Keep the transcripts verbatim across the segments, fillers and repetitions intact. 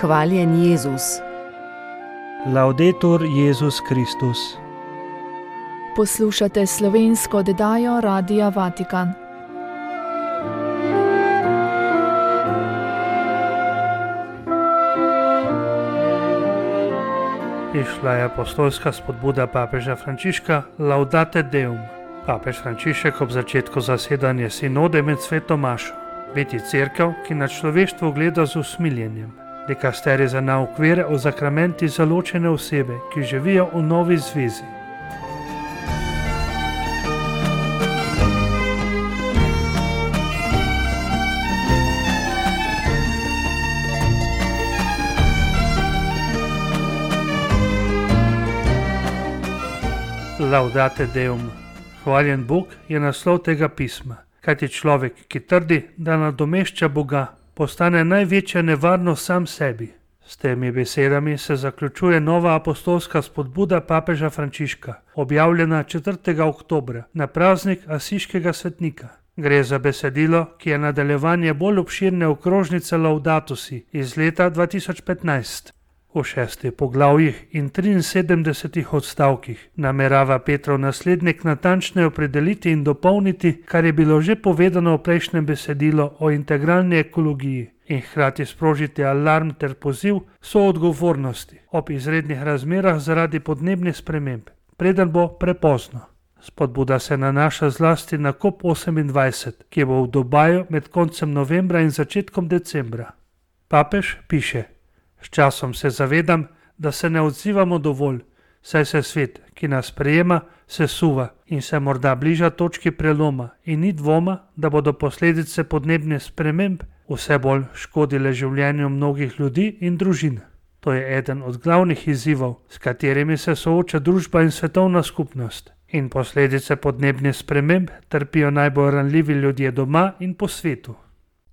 Hvaljen Jezus. Laudetur Jezus Kristus. Poslušate slovensko oddajo Radia Vatikan. Išla je apostolska spodbuda papeža Frančiška Laudate Deum. Papež Frančišek ob začetku zasedanja sinode med sveto mašo biti cerkev, ki na človeštvo gleda z usmiljenjem. Dikasterij za nauk vere o zakramenti za ločene osebe, ki živijo v novi zvezi. Laudate Deum. Hvaljen Bog je naslov tega pisma, kajti človek, ki trdi, da nadomešča Boga, postane največja nevarnost sam sebi. S temi besedami se zaključuje nova apostolska spodbuda papeža Frančiška, objavljena četrtega oktobra na praznik Asiškega svetnika. Gre za besedilo, ki je nadaljevanje bolj obširne okrožnice Laudato Si iz leta dva tisoč petnajst. V šestih poglavjih in triinsedemdesetih odstavkih namerava Petrov naslednik natančneje opredeliti in dopolniti, kar je bilo že povedano v prejšnjem besedilu o integralni ekologiji, in hkrati sprožiti alarm ter poziv soodgovornosti ob izrednih razmerah zaradi podnebnih sprememb, preden bo prepozno. Spodbuda se nanaša zlasti na kop osemindvajset, ki bo v Dubaju med koncem novembra in začetkom decembra. Papež piše: S časom se zavedam, da se ne odzivamo dovolj, saj se svet, ki nas sprejema, sesuva in se morda bliža točki preloma in ni dvoma, da bodo posledice podnebnih sprememb vse bolj škodile življenju mnogih ljudi in družin. To je eden od glavnih izzivov, s katerimi se sooča družba in svetovna skupnost. In posledice podnebnih sprememb trpijo najbolj ranljivi ljudje doma in po svetu.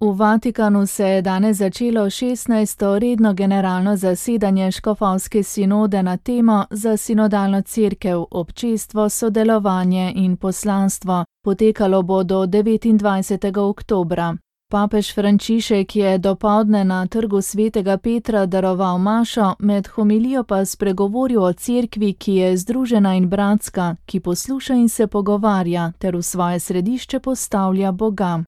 V Vatikanu se je danes začelo šestnajsto redno generalno zasedanje škofovske sinode na temo za sinodalno cerkev, občestvo, sodelovanje in poslanstvo. Potekalo bo do devetindvajsetega oktobra. Papež Frančišek je dopoldne na trgu svetega Petra daroval mašo, med homilijo pa spregovoril o cerkvi, ki je združena in bratska, ki posluša in se pogovarja, ter v svoje središče postavlja Boga.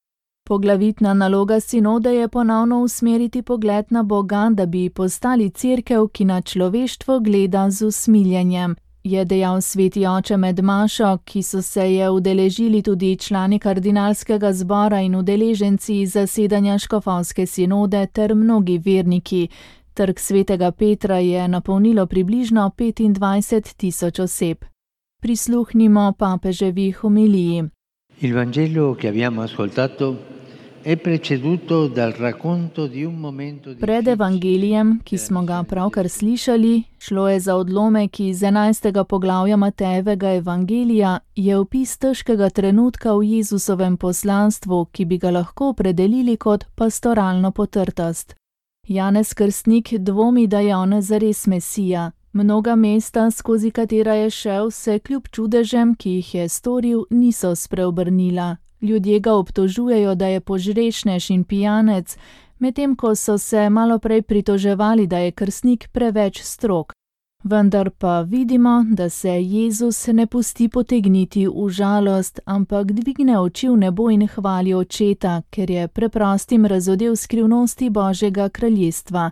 Poglavitna naloga sinode je ponovno usmeriti pogled na Boga, da bi postali cerkev, ki na človeštvo gleda z usmiljenjem, je dejal sveti oče med mašo, ki so se je udeležili tudi člani kardinalskega zbora in udeleženci zasedanja škofovske sinode ter mnogi verniki. Trg svetega Petra je napolnilo približno petindvajset tisoč oseb. Prisluhnimo papeževi homiliji. Il Vangelo che abbiamo ascoltato è preceduto dal racconto di un momento di... Pred evangelijem, ki smo ga pravkar slišali, šlo je za odlomek iz enajstega poglavja Matejevega evangelija, je opis težkega trenutka v Jezusovem poslanstvu, ki bi ga lahko opredelili kot pastoralno potrtost. Janez Krstnik dvomi, da je on zares Mesija. Mnoga mesta, skozi katera je šel, se kljub čudežem, ki jih je storil, niso spreobrnila. Ljudje ga obtožujejo, da je požrešnež in pijanec, medtem ko so se malo prej pritoževali, da je krstnik preveč strog. Vendar pa vidimo, da se Jezus ne pusti potegniti v žalost, ampak dvigne oči v nebo in hvali Očeta, ker je preprostim razodel skrivnosti Božjega kraljestva.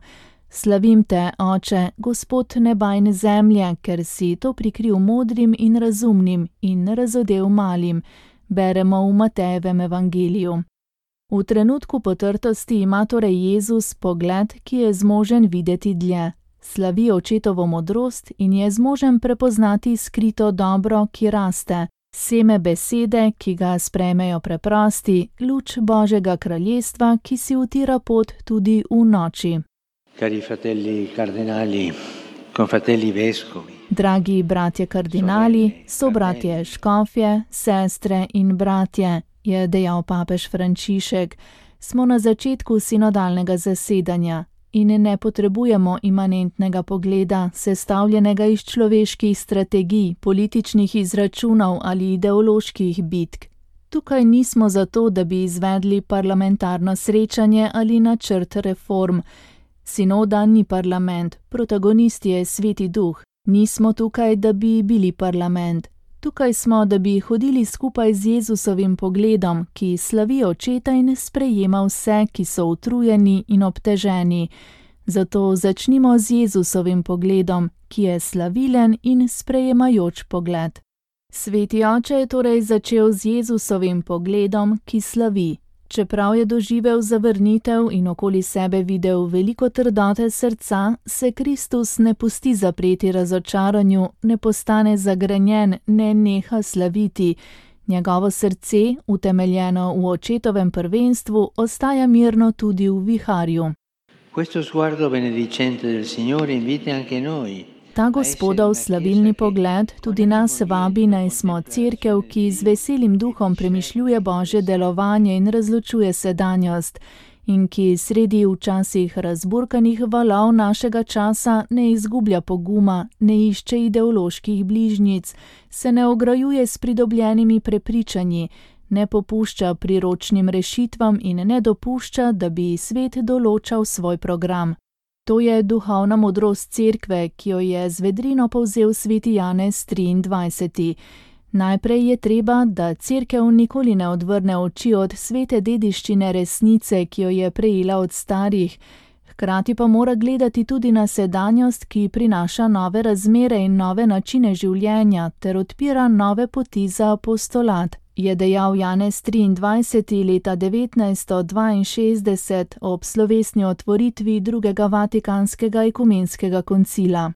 Slavim te, Oče, Gospod neba in zemlje, ker si to prikril modrim in razumnim in razodel malim, beremo v Matejevem evangeliju. V trenutku potrtosti ima torej Jezus pogled, ki je zmožen videti dlje. Slavi Očetovo modrost in je zmožen prepoznati skrito dobro, ki raste, seme besede, ki ga sprejmejo preprosti, luč Božjega kraljestva, ki si utira pot tudi v noči. Cari fratelli cardinali, confratelli vescovi. Dragi bratje kardinali, sobratje škofje, sestre in bratje, je dejal papež Frančišek, smo na začetku sinodalnega zasedanja in ne potrebujemo imanentnega pogleda, sestavljenega iz človeških strategij, političnih izračunov ali ideoloških bitk. Tukaj nismo zato, da bi izvedli parlamentarno srečanje ali načrt reform. Sinoda ni parlament, protagonist je Sveti Duh. Nismo tukaj, da bi bili parlament. Tukaj smo, da bi hodili skupaj z Jezusovim pogledom, ki slavi očeta in sprejema vse, ki so utrujeni in obteženi. Zato začnimo z Jezusovim pogledom, ki je slavilen in sprejemajoč pogled. Sveti oče je torej začel z Jezusovim pogledom, ki slavi. Čeprav je doživel zavrnitev in okoli sebe videl veliko trdote srca, se Kristus ne pusti zapreti razočaranju, ne postane zagrenjen, ne neha slaviti. Njegovo srce, utemeljeno v očetovem prvenstvu, ostaja mirno tudi v viharju. Questo sguardo benedicente del Signore invita anche noi. Ta Gospodov slavilni pogled tudi nas vabi, naj smo cerkev, ki z veselim duhom premišljuje Božje delovanje in razločuje sedanjost, in ki sredi včasih razburkanih valov našega časa ne izgublja poguma, ne išče ideoloških bližnjic, se ne ograjuje s pridobljenimi prepričanji, ne popušča priročnim rešitvam in ne dopušča, da bi svet določal svoj program. To je duhovna modrost cerkve, ki jo je z vedrino povzel sveti Janez triindvajseti. Najprej je treba, da cerkev nikoli ne odvrne oči od svete dediščine resnice, ki jo je prejela od starih. Hkrati pa mora gledati tudi na sedanjost, ki prinaša nove razmere in nove načine življenja ter odpira nove poti za apostolat, je dejal Janez triindvajseti leta devetnajststo dvainšestdeset ob slovesni otvoritvi drugega vatikanskega ekumenskega koncila.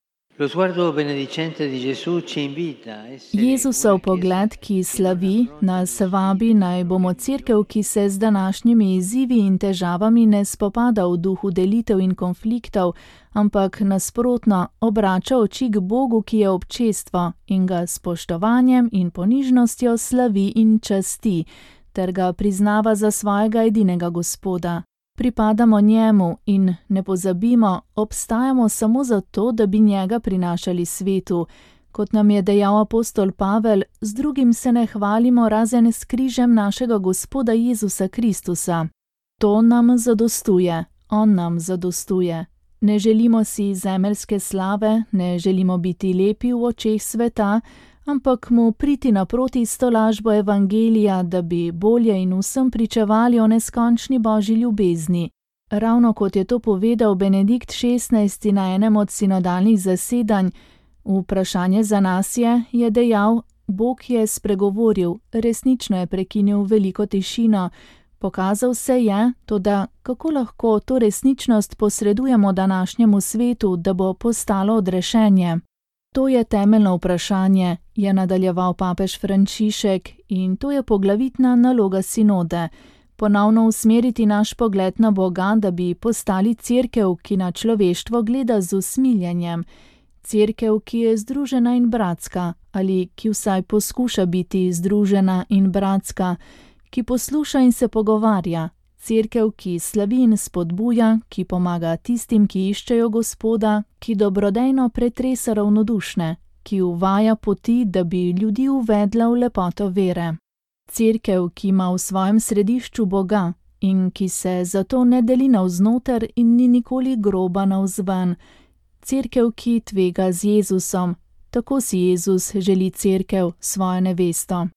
Jezusov pogled, ki slavi, nas vabi, naj bomo cerkev, ki se z današnjimi izzivi in težavami ne spopada v duhu delitev in konfliktov, ampak nasprotno obrača oči k Bogu, ki je občestvo, in ga s spoštovanjem in ponižnostjo slavi in časti, ter ga priznava za svojega edinega Gospoda. Pripadamo njemu in, ne pozabimo, obstajamo samo zato, da bi njega prinašali svetu. Kot nam je dejal apostol Pavel, z drugim se ne hvalimo razen s križem našega Gospoda Jezusa Kristusa. To nam zadostuje, on nam zadostuje. Ne želimo si zemeljske slave, ne želimo biti lepi v očeh sveta, ampak mu priti naproti s tolažbo evangelija, da bi bolje in vsem pričevali o neskončni Božji ljubezni. Ravno kot je to povedal Benedikt šestnajsti na enem od sinodalnih zasedanj, vprašanje za nas je, je dejal, Bog je spregovoril, resnično je prekinil veliko tišino, pokazal se je, toda kako lahko to resničnost posredujemo današnjemu svetu, da bo postalo odrešenje. To je temeljno vprašanje, je nadaljeval papež Frančišek, in to je poglavitna naloga sinode. Ponovno usmeriti naš pogled na Boga, da bi postali cerkev, ki na človeštvo gleda z usmiljenjem. Cerkev, ki je združena in bratska, ali ki vsaj poskuša biti združena in bratska, ki posluša in se pogovarja. Cerkev, ki slavi in spodbuja, ki pomaga tistim, ki iščejo Gospoda, ki dobrodejno pretresa ravnodušne, ki uvaja poti, da bi ljudi uvedla v lepoto vere. Cerkev, ki ima v svojem središču Boga in ki se zato ne deli navznoter in ni nikoli groba navzven. Cerkev, ki tvega z Jezusom, tako si Jezus želi cerkev, svojo nevesto.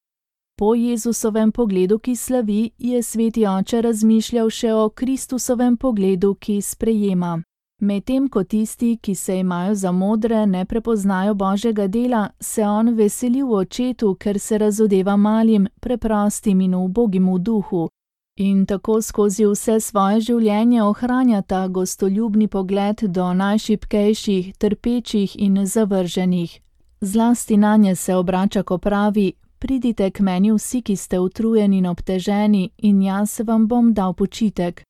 Po Jezusovem pogledu, ki slavi, je sveti oče razmišljal še o Kristusovem pogledu, ki sprejema. Medtem ko tisti, ki se imajo za modre, ne prepoznajo Božjega dela, se on veseli v očetu, ker se razodeva malim, preprostim in ubogim v duhu. In tako skozi vse svoje življenje ohranja ta gostoljubni pogled do najšibkejših, trpečih in zavrženih. Zlasti nanje se obrača, ko pravi: Pridite k meni vsi, ki ste utrujeni in obteženi, in jaz vam bom dal počitek.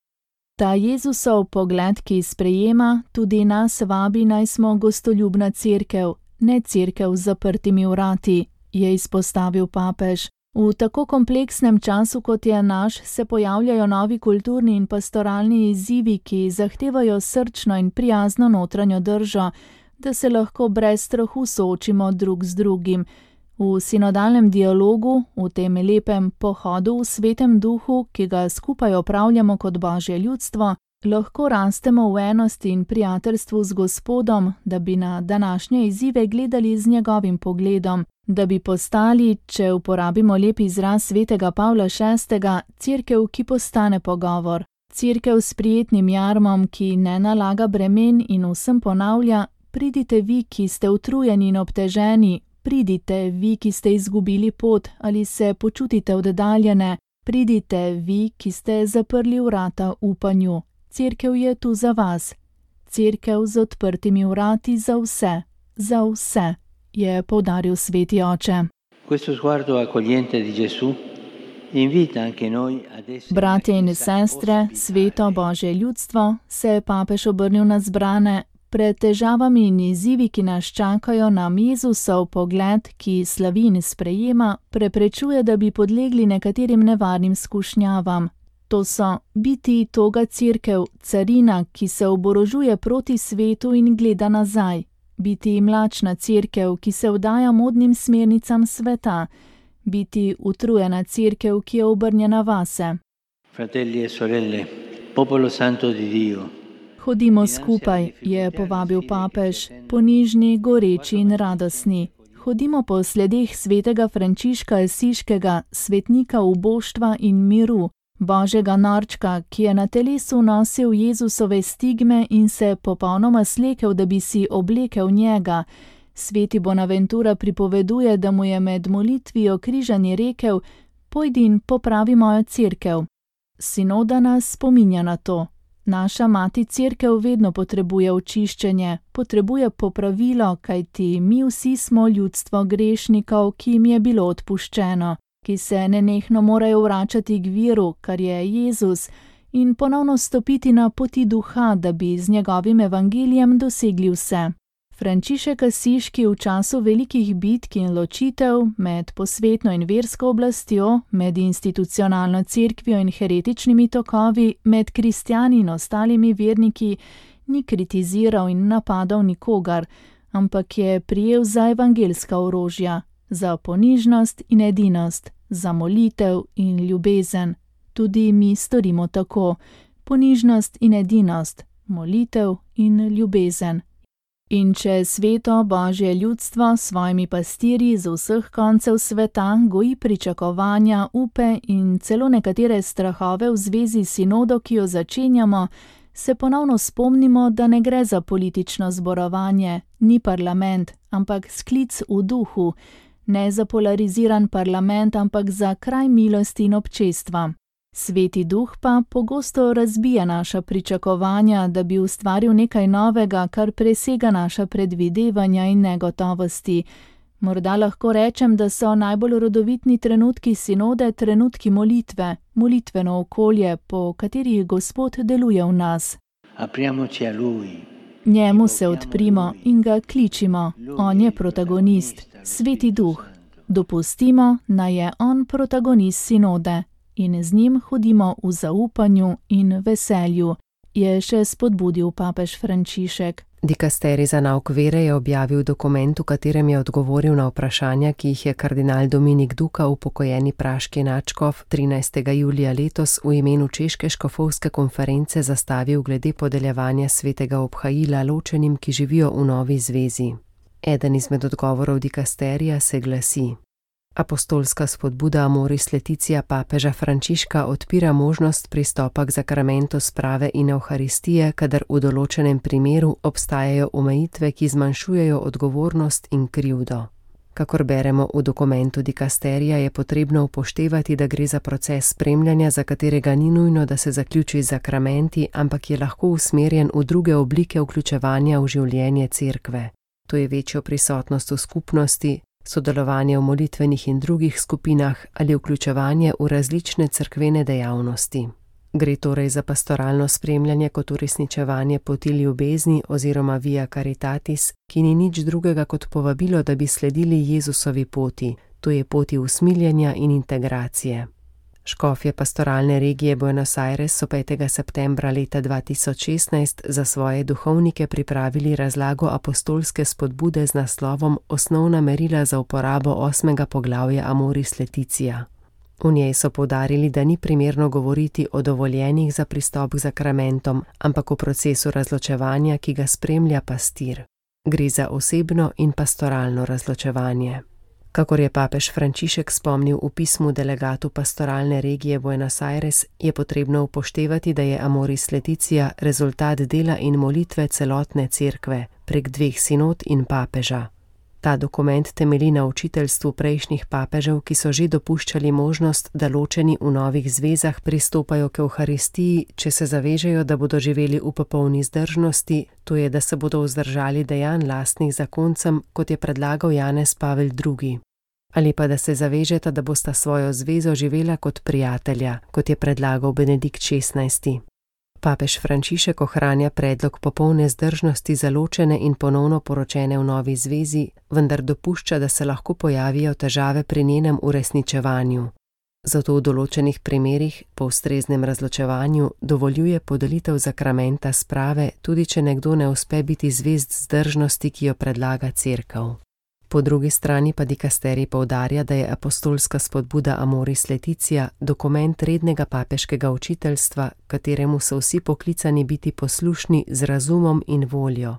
Ta Jezusov pogled, ki sprejema, tudi nas vabi, naj smo gostoljubna cerkev, ne cerkev z zaprtimi vrati, je izpostavil papež. V tako kompleksnem času, kot je naš, se pojavljajo novi kulturni in pastoralni izzivi, ki zahtevajo srčno in prijazno notranjo držo, da se lahko brez strahu soočimo drug z drugim. V sinodalnem dialogu, v tem lepem pohodu v svetem duhu, ki ga skupaj opravljamo kot Božje ljudstvo, Lahko rastemo v enosti in prijateljstvu z Gospodom, da bi na današnje izzive gledali z njegovim pogledom, da bi postali, če uporabimo lep izraz svetega Pavla šestega, cerkev, ki postane pogovor. Cerkev s prijetnim jarmom, ki ne nalaga bremen in vsem ponavlja: pridite vi, ki ste utrujeni in obteženi, pridite vi, ki ste izgubili pot ali se počutite oddaljene, pridite vi, ki ste zaprli vrata upanju. Cerkev je tu za vas. Cerkev z odprtimi vrati za vse, za vse, je poudaril sveti oče. Questo sguardo accogliente di Gesù invita anche noi ad essere. Bratje in sestre, sveto Božje ljudstvo, se je papež obrnil na zbrane. Pred težavami in izzivi, ki nas čakajo, nam Jezusov pogled, ki slavi in sprejema, preprečuje, da bi podlegli nekaterim nevarnim skušnjavam. To so biti toga cerkev, carina, ki se oborožuje proti svetu in gleda nazaj. Biti mlačna cerkev, ki se vdaja modnim smernicam sveta. Biti utrujena cerkev, ki je obrnjena vase. Fratelli e sorelle, popolo santo di Dio. Hodimo skupaj, je povabil papež, ponižni, goreči in radostni. Hodimo po sledeh svetega Frančiška Asiškega, svetnika uboštva in miru, Božjega norčka, ki je na telesu nosil Jezusove stigme in se popolnoma slekel, da bi si oblekel njega. Sveti Bonaventura pripoveduje, da mu je med molitvijo križanje rekel: pojdi in popravi mojo cerkev. Sinoda nas spominja na to. Naša mati cerkev vedno potrebuje očiščenje, potrebuje popravilo, kajti mi vsi smo ljudstvo grešnikov, ki jim je bilo odpuščeno, ki se nenehno morajo vračati k viru, kar je Jezus, in ponovno stopiti na poti duha, da bi z njegovim evangelijem dosegli vse. Frančišek Asiški v času velikih bitk in ločitev med posvetno in versko oblastjo, med institucionalno cerkvijo in heretičnimi tokovi, med kristjani in ostalimi verniki, ni kritiziral in napadal nikogar, ampak je prijel za evangelska orožja, za ponižnost in edinost, za molitev in ljubezen. Tudi mi storimo tako: ponižnost in edinost, molitev in ljubezen. In če sveto Božje ljudstvo s svojimi pastirji z vseh koncev sveta goji pričakovanja, upe in celo nekatere strahove v zvezi s sinodo, ki jo začenjamo, se ponovno spomnimo, da ne gre za politično zborovanje, ni parlament, ampak sklic v duhu, ne za polariziran parlament, ampak za kraj milosti in občestva. Sveti duh pa pogosto razbija naša pričakovanja, da bi ustvaril nekaj novega, kar presega naša predvidevanja in negotovosti. Morda lahko rečem, da so najbolj rodovitni trenutki sinode trenutki molitve, molitveno okolje, po katerih Gospod deluje v nas. Apriamoci a Lui. Njemu se odprimo in ga kličimo. On je protagonist, Sveti duh. Dopustimo, naj je on protagonist sinode. In z njim hodimo v zaupanju in veselju, je še spodbudil papež Frančišek. Dikasterij za nauk vere je objavil dokument, v katerem je odgovoril na vprašanja, ki jih je kardinal Dominik Duka, upokojeni praški nadškof, trinajstega julija letos v imenu Češke škofovske konference zastavil glede podeljevanja svetega obhajila ločenim, ki živijo v novi zvezi. Eden izmed odgovorov dikasterija se glasi: Apostolska spodbuda Amoris Laetitia papeža Frančiška odpira možnost pristopa k zakramentu sprave in evharistije, kadar v določenem primeru obstajajo omejitve, ki zmanjšujejo odgovornost in krivdo. Kakor beremo v dokumentu dikasterija, je potrebno upoštevati, da gre za proces spremljanja, za katerega ni nujno, da se zaključi z zakramenti, ampak je lahko usmerjen v druge oblike vključevanja v življenje cerkve. To je večjo prisotnost v skupnosti, sodelovanje v molitvenih in drugih skupinah ali vključevanje v različne cerkvene dejavnosti. Gre torej za pastoralno spremljanje kot uresničevanje poti ljubezni oziroma via caritatis, ki ni nič drugega kot povabilo, da bi sledili Jezusovi poti, to je poti usmiljenja in integracije. Škofje pastoralne regije Buenos Aires so petega septembra leta dva tisoč šestnajst za svoje duhovnike pripravili razlago apostolske spodbude z naslovom Osnovna merila za uporabo osmega poglavja Amoris Laetitia. V njej so poudarili, da ni primerno govoriti o dovoljenih za pristop k zakramentom, ampak o procesu razločevanja, ki ga spremlja pastir. Gre za osebno in pastoralno razločevanje. Kakor je papež Frančišek spomnil v pismu delegatu pastoralne regije Buenos Aires, je potrebno upoštevati, da je Amoris Laetitia rezultat dela in molitve celotne cerkve prek dveh sinod in papeža. Ta dokument temelji na učiteljstvu prejšnjih papežev, ki so že dopuščali možnost, da ločeni v novih zvezah pristopajo k Evharistiji, če se zavežejo, da bodo živeli v popolni zdržnosti, to je, da se bodo vzdržali dejanj lastnih zakoncem, kot je predlagal Janez Pavel drugi. Ali pa da se zavežeta, da bosta svojo zvezo živela kot prijatelja, kot je predlagal Benedikt šestnajsti. Papež Frančišek ohranja predlog popolne zdržnosti za ločene in ponovno poročene v novi zvezi, vendar dopušča, da se lahko pojavijo težave pri njenem uresničevanju. Zato v določenih primerih, po ustreznem razločevanju, dovoljuje podelitev zakramenta sprave, tudi če nekdo ne uspe biti zvest zdržnosti, ki jo predlaga cerkev. Po drugi strani pa dikasterij poudarja, da je apostolska spodbuda Amoris Laetitia dokument rednega papeškega učiteljstva, kateremu so vsi poklicani biti poslušni z razumom in voljo.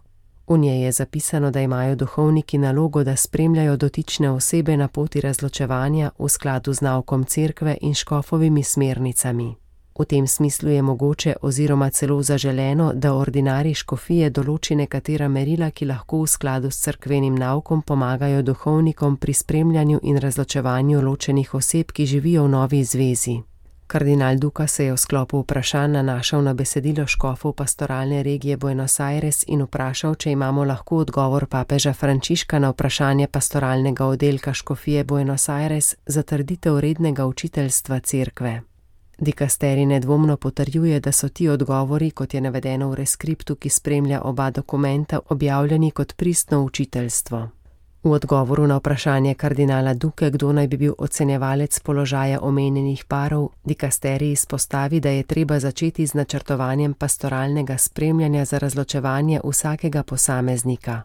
V njej je zapisano, da imajo duhovniki nalogo, da spremljajo dotične osebe na poti razločevanja v skladu z naukom cerkve in škofovimi smernicami. V tem smislu je mogoče oziroma celo zaželeno, da ordinarij škofije določi nekatera merila, ki lahko v skladu s cerkvenim naukom pomagajo duhovnikom pri spremljanju in razločevanju ločenih oseb, ki živijo v novi zvezi. Kardinal Duka se je v sklopu vprašanj nanašal na besedilo škofov pastoralne regije Buenos Aires in vprašal, če imamo lahko odgovor papeža Frančiška na vprašanje pastoralnega oddelka škofije Buenos Aires za trditev rednega učiteljstva cerkve. Dikasterij nedvomno potrjuje, da so ti odgovori, kot je navedeno v reskriptu, ki spremlja oba dokumenta, objavljeni kot pristno učiteljstvo. V odgovoru na vprašanje kardinala Duke, kdo naj bi bil ocenjevalec položaja omenjenih parov, dikasterij izpostavi, da je treba začeti z načrtovanjem pastoralnega spremljanja za razločevanje vsakega posameznika.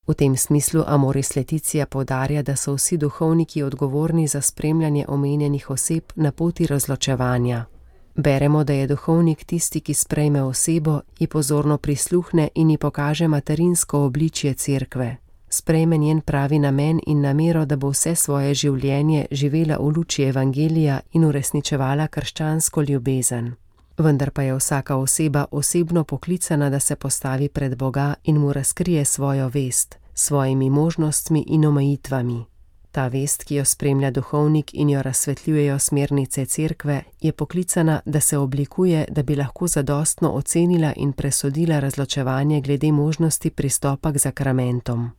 V tem smislu Amoris Laetitia poudarja, da so vsi duhovniki odgovorni za spremljanje omenjenih oseb na poti razločevanja. Beremo, da je duhovnik tisti, ki sprejme osebo, ji pozorno prisluhne in ji pokaže materinsko obličje cerkve. Sprejme njen pravi namen in namero, da bo vse svoje življenje živela v luči evangelija in uresničevala krščansko ljubezen. Vendar pa je vsaka oseba osebno poklicana, da se postavi pred Boga in mu razkrije svojo vest, svojimi možnostmi in omejitvami. Ta vest, ki jo spremlja duhovnik in jo razsvetljujejo smernice cerkve, je poklicana, da se oblikuje, da bi lahko zadostno ocenila in presodila razločevanje glede možnosti pristopa k zakramentom.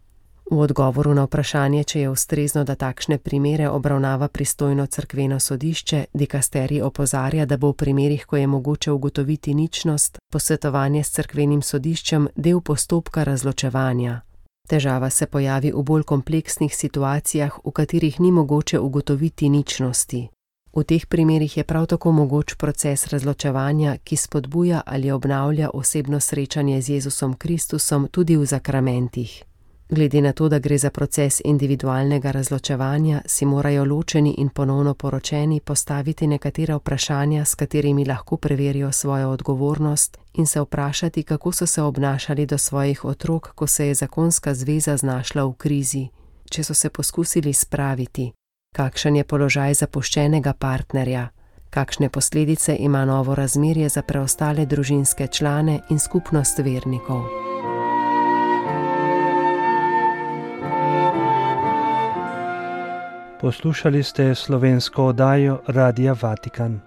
V odgovoru na vprašanje, če je ustrezno, da takšne primere obravnava pristojno cerkveno sodišče, dikasterij opozarja, da bo v primerih, ko je mogoče ugotoviti ničnost, posvetovanje s cerkvenim sodiščem del postopka razločevanja. Težava se pojavi v bolj kompleksnih situacijah, v katerih ni mogoče ugotoviti ničnosti. V teh primerih je prav tako mogoč proces razločevanja, ki spodbuja ali obnavlja osebno srečanje z Jezusom Kristusom tudi v zakramentih. Glede na to, da gre za proces individualnega razločevanja, si morajo ločeni in ponovno poročeni postaviti nekatera vprašanja, s katerimi lahko preverijo svojo odgovornost in se vprašati, kako so se obnašali do svojih otrok, ko se je zakonska zveza znašla v krizi, če so se poskusili spraviti, kakšen je položaj zapuščenega partnerja, kakšne posledice ima novo razmerje za preostale družinske člane in skupnost vernikov. Poslušali ste slovensko oddajo Radia Vatikan.